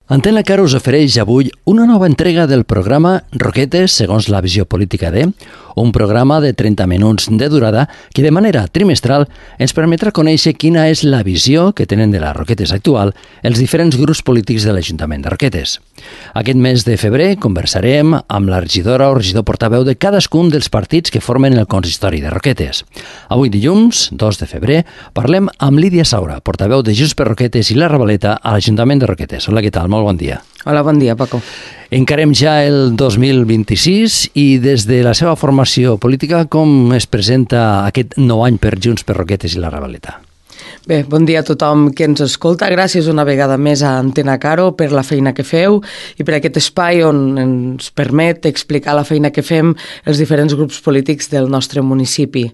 Antena Caro us ofereix avui una nova entrega del programa Roquetes segons la visió política de, un programa de 30 minuts de durada que de manera trimestral ens permetrà conèixer quina és la visió que tenen de la Roquetes actual els diferents grups polítics de l'Ajuntament de Roquetes. Aquest mes de febrer conversarem amb la regidora o regidor portaveu de cadascun dels partits que formen el consistori de Roquetes. Avui dilluns, 2 de febrer, parlem amb Lídia Saura, portaveu de Junts per Roquetes i la Ravaleta a l'Ajuntament de Roquetes. Hola, què tal? Molt bon dia. Hola, bon dia, Paco. Encarem ja el 2026 i des de la seva formació política, com es presenta aquest nou any per Junts per Roquetes i la Ravaleta? Bé, bon dia a tothom que ens escolta. Gràcies una vegada més a Antena Caro per la feina que feu i per aquest espai on ens permet explicar la feina que fem els diferents grups polítics del nostre municipi.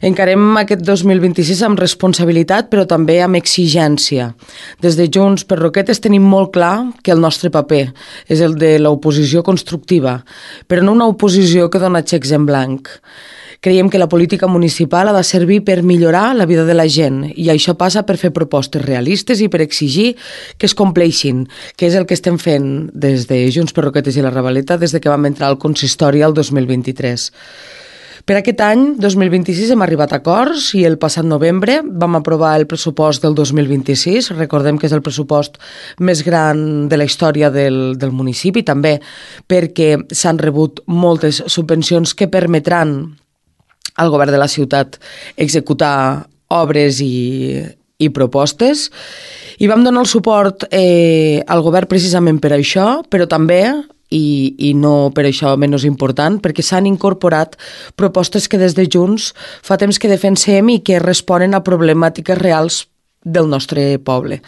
Encarem aquest 2026 amb responsabilitat, però també amb exigència. Des de Junts per Roquetes tenim molt clar que el nostre paper és el de l'oposició constructiva, però no una oposició que dona xecs en blanc. Creiem que la política municipal ha de servir per millorar la vida de la gent i això passa per fer propostes realistes i per exigir que es compleixin, que és el que estem fent des de Junts per Roquetes i la Ravaleta des de que vam entrar al consistori el 2023. Per aquest any, 2026, hem arribat a acords i el passat novembre vam aprovar el pressupost del 2026. Recordem que és el pressupost més gran de la història del municipi, també perquè s'han rebut moltes subvencions que permetran al govern de la ciutat executar obres i propostes. I vam donar el suport al govern precisament per això, però també i no per això menys important, perquè s'han incorporat propostes que des de Junts fa temps que defensem i que responen a problemàtiques reals del nostre poble.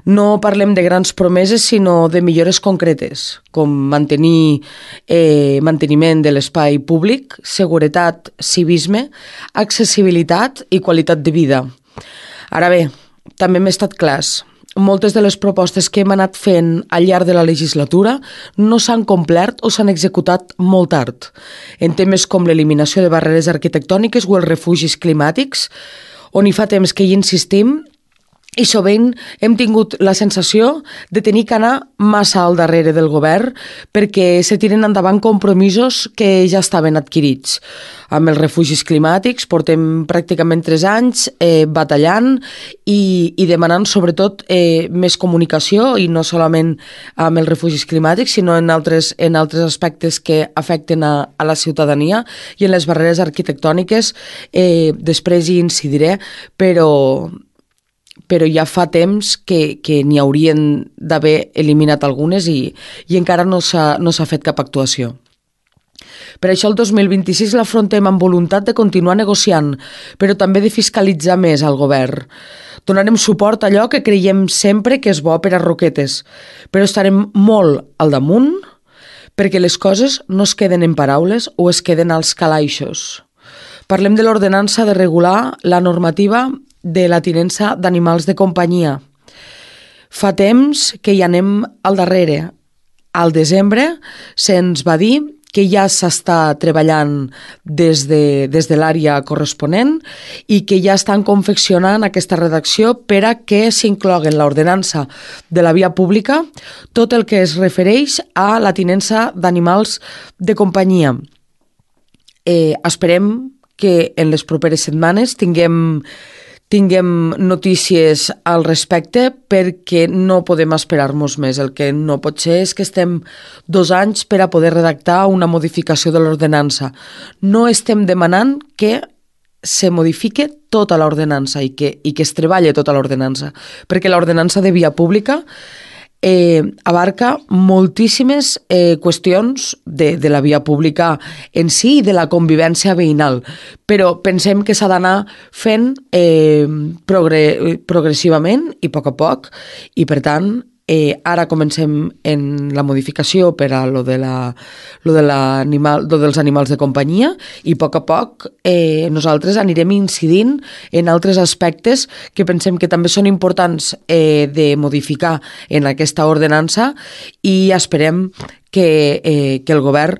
No parlem de grans promeses, sinó de millores concretes, com manteniment de l'espai públic, seguretat, civisme, accessibilitat i qualitat de vida. Ara bé, també hem estat clars. Moltes de les propostes que hem anat fent al llarg de la legislatura no s'han complert o s'han executat molt tard. En temes com l'eliminació de barreres arquitectòniques o els refugis climàtics, on hi fa temps que hi insistim, i sovint hem tingut la sensació de tenir que anar massa al darrere del govern perquè se tiren endavant compromisos que ja estaven adquirits. Amb els refugis climàtics portem pràcticament 3 anys batallant i demanant sobretot més comunicació i no solament amb els refugis climàtics sinó en altres aspectes que afecten a la ciutadania i en les barreres arquitectòniques després hi incidiré, però ja fa temps que n'hi haurien d'haver eliminat algunes i encara no s'ha fet cap actuació. Per això el 2026 l'afrontem amb voluntat de continuar negociant, però també de fiscalitzar més al govern. Donarem suport a allò que creiem sempre que és bo per a Roquetes, però estarem molt al damunt perquè les coses no es queden en paraules o es queden als calaixos. Parlem de l'ordenança de regular la normativa de la tinença d'animals de companyia. Fa temps que hi anem al darrere. Al desembre se'ns va dir que ja s'està treballant des de l'àrea corresponent i que ja estan confeccionant aquesta redacció per a que s'inclogui en l'ordenança de la via pública tot el que es refereix a la tinença d'animals de companyia. Esperem que en les properes setmanes tinguem notícies al respecte perquè no podem esperar-nos més. El que no pot ser és que estem 2 anys per a poder redactar una modificació de l'ordenança. No estem demanant que se modifique tota l'ordenança i que es treballe tota l'ordenança, perquè l'ordenança de via pública abarca moltíssimes qüestions de la via pública en si i de la convivència veïnal, però pensem que s'ha d'anar fent progressivament i a poc, i per tant ara comencem en la modificació per a lo dels animals de companyia i a poc nosaltres anirem incidint en altres aspectes que pensem que també són importants de modificar en aquesta ordenança i esperem que el govern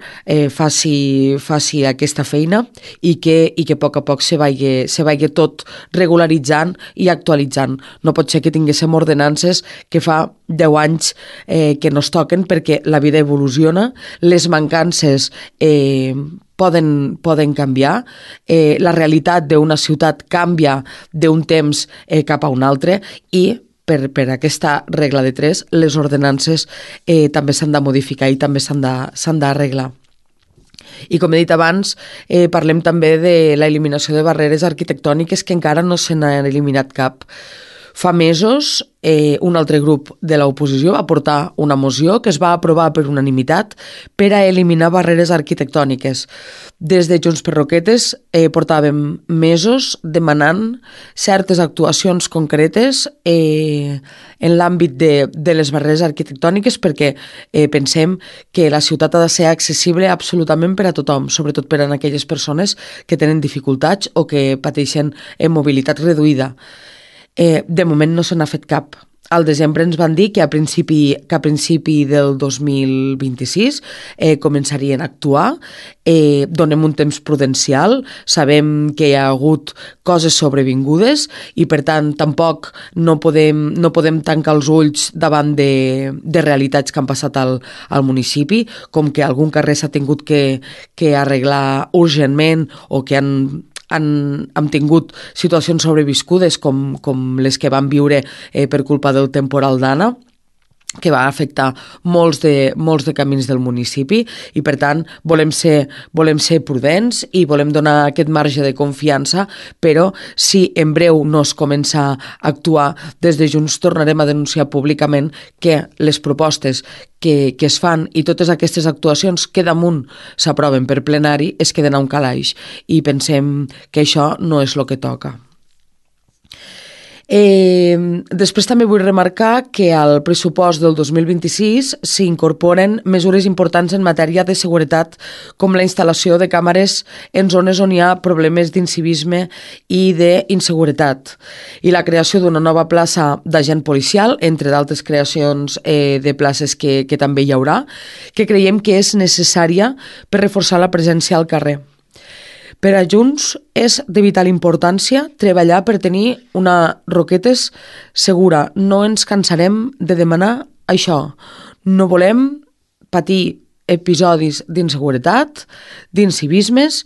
faci aquesta feina i que a poc se vagi tot regularitzant i actualitzant. No pot ser que tinguéssim ordenances que fa 10 anys que no es toquen, perquè la vida evoluciona, les mancances poden canviar, la realitat d'una ciutat canvia d'un temps cap a un altre, i per aquesta regla de 3, les ordenances també s'han de modificar i també s'han d'arreglar. I com he dit abans, parlem també de l'eliminació de barreres arquitectòniques, que encara no se n'ha eliminat cap. Fa mesos, un altre grup de l'oposició va portar una moció que es va aprovar per unanimitat per a eliminar barreres arquitectòniques. Des de Junts per Roquetes portàvem mesos demanant certes actuacions concretes en l'àmbit de les barreres arquitectòniques, perquè pensem que la ciutat ha de ser accessible absolutament per a tothom, sobretot per a aquelles persones que tenen dificultats o que pateixen mobilitat reduïda. De moment no se n'ha fet cap. Al desembre ens van dir que a principi del 2026 començarien a actuar. Donem un temps prudencial, sabem que hi ha hagut coses sobrevingudes i per tant tampoc no podem tancar els ulls davant de realitats que han passat al municipi, com que algun carrer s'ha tingut que arreglar urgentment, o que hem tingut situacions sobreviscudes com les que vam viure per culpa del temporal d'Anna, que va afectar molts de camins del municipi, i per tant volem ser prudents i volem donar aquest marge de confiança, però si en breu no es comença a actuar, des de Junts tornarem a denunciar públicament que les propostes que es fan i totes aquestes actuacions que damunt s'aproven per plenari es queden a un calaix, i pensem que això no és el que toca. Després també vull remarcar que al pressupost del 2026 s'incorporen mesures importants en matèria de seguretat, com la instal·lació de càmeres en zones on hi ha problemes d'incivisme i d'inseguretat, i la creació d'una nova plaça d'agent policial, entre d'altres creacions de places que també hi haurà, que creiem que és necessària per reforçar la presència al carrer. Per a Junts és de vital importància treballar per tenir una Roquetes segura. No ens cansarem de demanar això. No volem patir episodis d'inseguretat, d'incivismes,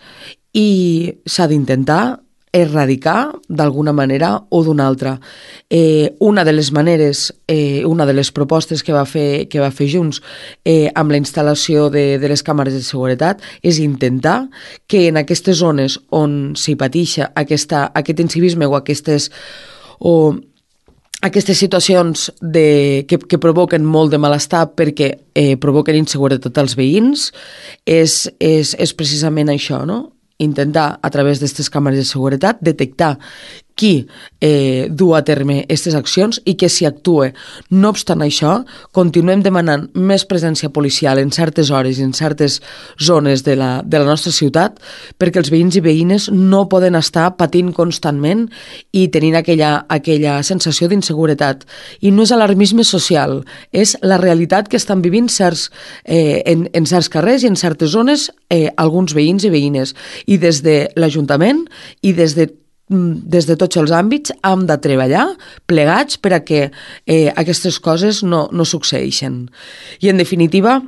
i s'ha d'intentar erradicar d'alguna manera o d'una altra. Una de les maneres, una de les propostes que va fer Junts amb la instal·lació de les càmeres de seguretat és intentar que en aquestes zones on s'hi pateix aquest incivisme o aquestes situacions que provoquen molt de malestar perquè provoquen inseguretat als veïns, és precisament això, no? Intentar, a través d'aquestes càmeres de seguretat, detectar qui du a terme aquestes accions i que s'hi actue. No obstant això, continuem demanant més presència policial en certes hores i en certes zones de la nostra ciutat, perquè els veïns i veïnes no poden estar patint constantment i tenint aquella sensació d'inseguretat. I no és alarmisme social, és la realitat que estan vivint en certs carrers i en certes zones alguns veïns i veïnes. I des de l'Ajuntament i des de tots els àmbits hem de treballar plegats per a que aquestes coses no succeeixen. I en definitiva,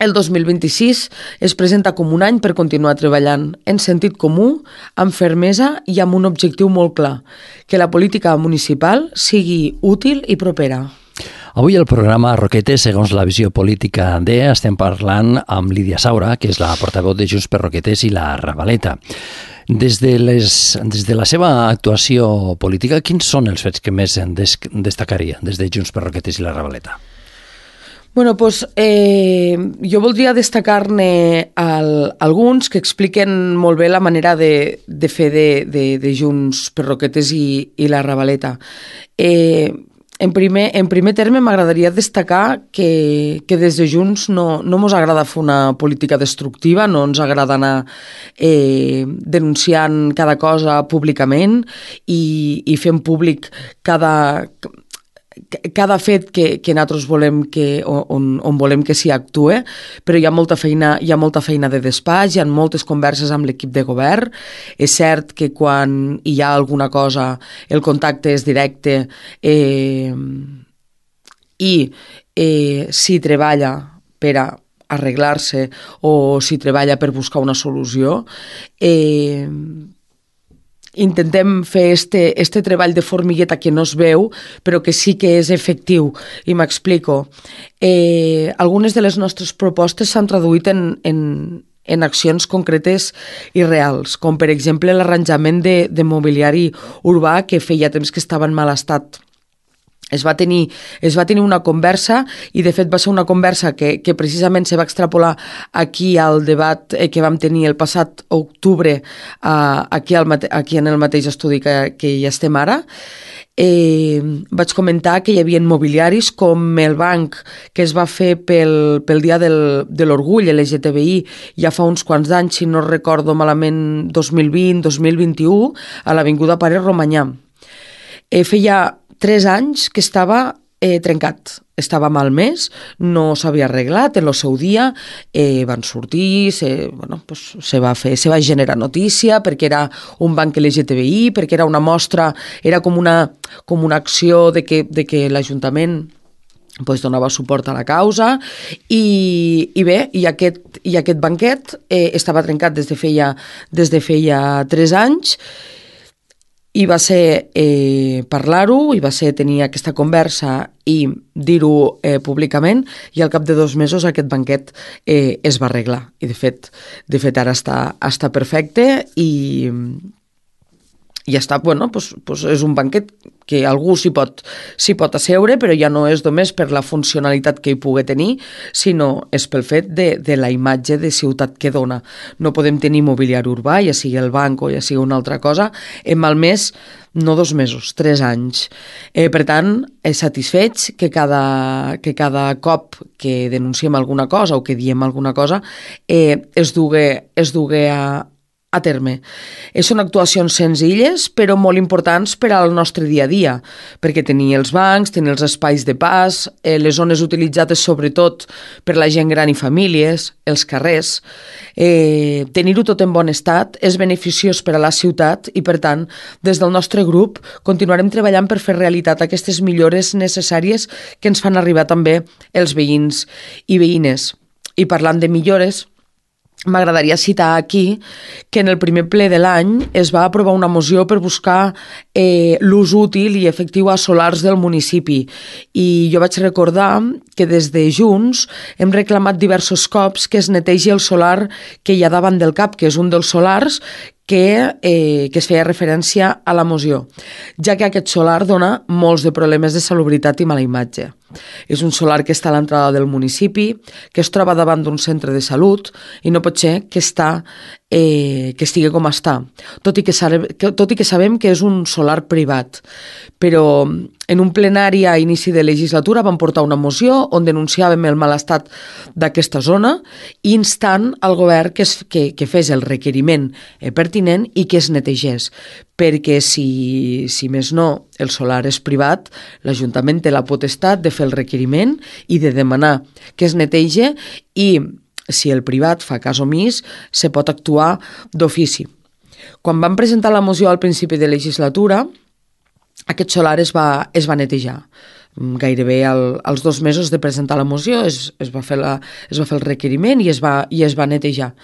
el 2026 es presenta com un any per continuar treballant en sentit comú, amb fermesa i amb un objectiu molt clar: que la política municipal sigui útil i propera. Avui al programa Roquetes, segons la visió política estem parlant amb Lídia Saura, que és la portaveu de Junts per Roquetes i la Ravaleta. Des de la seva actuació política, quins són els fets que més destacaria des de Junts per Roquetes i la Ravaleta? Bueno, doncs jo voldria destacar-ne alguns que expliquen molt bé la manera de fer de Junts per Roquetes i la Ravaleta. En primer terme, m'agradaria destacar que des de Junts no ens agrada fer una política destructiva, no ens agrada anar denunciant cada cosa públicament i fent públic cada fet que nosaltres volem on volem que s'hi actue, però hi ha molta feina de despatx, hi ha moltes converses amb l'equip de govern. És cert que quan hi ha alguna cosa el contacte és directe i s'hi treballa per a arreglar-se o s'hi treballa per buscar una solució. Intentem fer este treball de formigueta que no es veu, però que sí que és efectiu, i m'explico. Algunes de les nostres propostes s'han traduït en accions concretes i reals, com per exemple l'arranjament de mobiliari urbà que feia temps que estava en mal estat. Es va tenir una conversa, i de fet va ser una conversa que precisament se va extrapolar aquí al debat que vam tenir el passat octubre aquí en el mateix estudi que hi estem ara. Vaig comentar que hi havia mobiliaris com el banc que es va fer pel Dia de l'Orgull LGTBI ja fa uns quants anys, si no recordo malament, 2020-2021, a l'Avinguda Pare Romanyà. Feia 3 anys que estava trencat, estava malmès, no s'havia arreglat. En el seu dia van sortir, se va generar notícia perquè era un banc LGTBI, perquè era una mostra, era com una acció de que l'Ajuntament donava suport a la causa, i aquest banquet estava trencat des de feia 3 anys. I va ser parlar-ho, i va ser tenir aquesta conversa i dir-ho públicament, i al cap de 2 mesos aquest banquet es va arreglar. I de fet ara està perfecte, i està, és un banquet que algú s'hi pot asseure, però ja no és només per la funcionalitat que hi pugui tenir, sinó és pel fet de la imatge de ciutat que dona. No podem tenir mobiliari urbà, ja sigui el banc o ja sigui una altra cosa, en malmès no 2 mesos, 3 anys. Per tant, satisfets que cada cop que denunciem alguna cosa o que diem alguna cosa es dugue a terme. Són actuacions senzilles, però molt importants per al nostre dia a dia, perquè tenir els bancs, tenir els espais de pas, les zones utilitzades sobretot per la gent gran i famílies, els carrers, tenir-ho tot en bon estat és beneficiós per a la ciutat, i per tant, des del nostre grup continuarem treballant per fer realitat aquestes millores necessàries que ens fan arribar també els veïns i veïnes. I parlant de millores, m'agradaria citar aquí que en el primer ple de l'any es va aprovar una moció per buscar l'ús útil i efectiu a solars del municipi, i jo vaig recordar que des de Junts hem reclamat diversos cops que es netegi el solar que hi ha davant del CAP, que és un dels solars que es feia referència a la moció, ja que aquest solar dona molts de problemes de salubritat i mala imatge. És un solar que està a l'entrada del municipi, que es troba davant d'un centre de salut, i no pot ser que estigui com està, tot i que sabem que és un solar privat. Però en un plenari a inici de legislatura vam portar una moció on denunciàvem el mal estat d'aquesta zona, instant al govern que fes el requeriment pertinent i que es netegés, perquè si més no el solar és privat, l'Ajuntament té la potestat de fer el requeriment i de demanar que es netegi, i si el privat fa cas omís, se pot actuar d'ofici. Quan vam presentar la moció al principi de legislatura, aquest solar es va netejar. Gairebé als 2 mesos de presentar la moció es va fer el requeriment i es va netejar.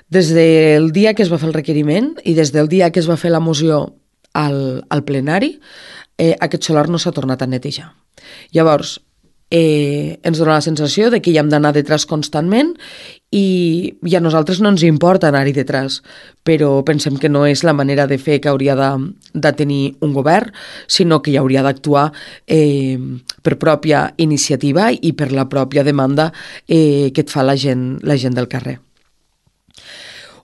Des del dia que es va fer el requeriment i des del dia que es va fer la moció al plenari, aquest solar no s'ha tornat a netejar. Llavors, ens dona la sensació de que hi hem d'anar detrás constantment, i a nosaltres no ens importa anar-hi detrás, però pensem que no és la manera de fer que hauria de tenir un govern, sinó que hi hauria d'actuar per pròpia iniciativa i per la pròpia demanda que et fa la gent del carrer.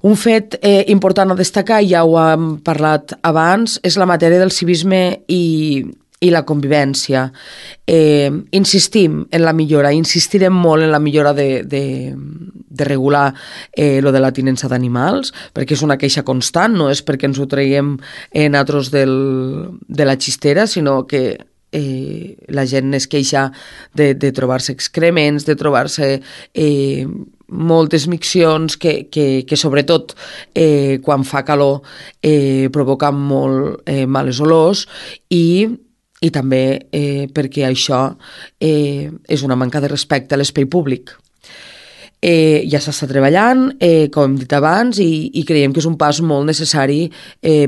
Un fet important a destacar, ja ho hem parlat abans, és la matèria del civisme i la convivència. Insistim en la millora, insistirem molt en la millora de regular lo de la tinença d'animals, perquè és una queixa constant, no és perquè ens ho traiem nosaltres de la xistera, sinó que la gent es queixa de trobar-se excrements, de trobar-se moltes miccions que sobretot quan fa calor provoquen molt males olors i també perquè això és una manca de respecte a l'espai públic. Ja s'està treballant, com hem dit abans, i creiem que és un pas molt necessari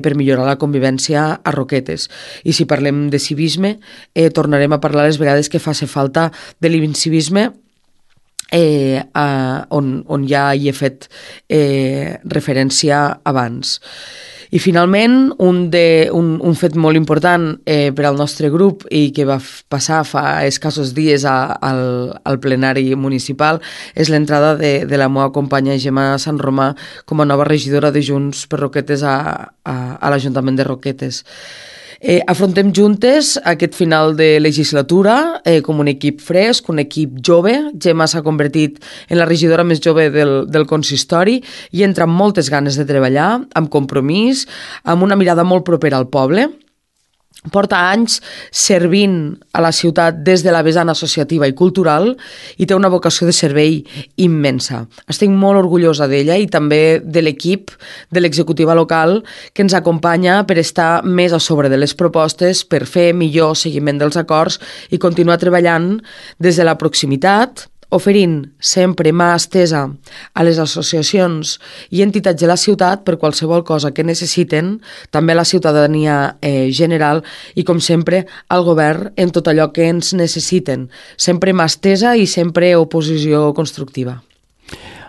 per millorar la convivència a Roquetes. I si parlem de civisme, tornarem a parlar les vegades que faci falta de l'incivisme, on ja hi he fet referència abans. I finalment, un fet molt important per al nostre grup i que va passar fa escassos dies al plenari municipal és l'entrada de la meva companya Gemma Sant Romà com a nova regidora de Junts per Roquetes a l'Ajuntament de Roquetes. Afrontem juntes aquest final de legislatura com un equip fresc, un equip jove. Gemma s'ha convertit en la regidora més jove del consistori i entra amb moltes ganes de treballar, amb compromís, amb una mirada molt propera al poble. Porta anys servint a la ciutat des de la vessant associativa i cultural i té una vocació de servei immensa. Estic molt orgullosa d'ella i també de l'equip de l'executiva local que ens acompanya per estar més a sobre de les propostes, per fer millor seguiment dels acords i continuar treballant des de la proximitat, oferint sempre mà estesa a les associacions i entitats de la ciutat per qualsevol cosa que necessiten, també a la ciutadania general i, com sempre, al govern en tot allò que ens necessiten. Sempre mà estesa i sempre oposició constructiva.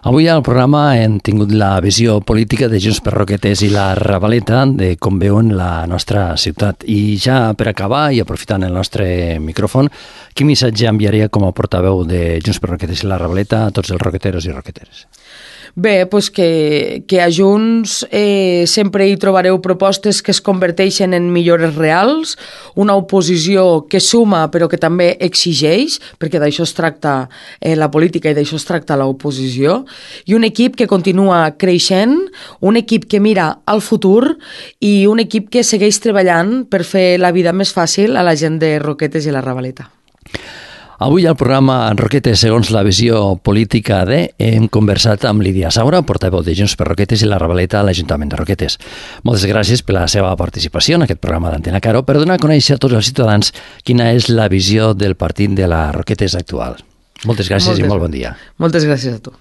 Avui al programa hem tingut la visió política de Junts per Roquetes i la Ravaleta de com veuen la nostra ciutat. I ja per acabar, i aprofitant el nostre micròfon, quin missatge enviaria com a portaveu de Junts per Roquetes i la Ravaleta a tots els roqueteros i roqueteres? Bé, doncs que a Junts sempre hi trobareu propostes que es converteixen en millores reals, una oposició que suma però que també exigeix, perquè d'això es tracta la política i d'això es tracta l'oposició, i un equip que continua creixent, un equip que mira al futur i un equip que segueix treballant per fer la vida més fàcil a la gent de Roquetes i la Ravaleta. Avui al programa Roquetes segons la visió política hem conversat amb Lídia Saura, portaveu de Junts per Roquetes i la Ravaleta a l'Ajuntament de Roquetes. Moltes gràcies per la seva participació en aquest programa d'Antena Caro per donar a conèixer a tots els ciutadans quina és la visió del partit de la Roquetes actual. Moltes gràcies i molt bon dia. Moltes gràcies a tu.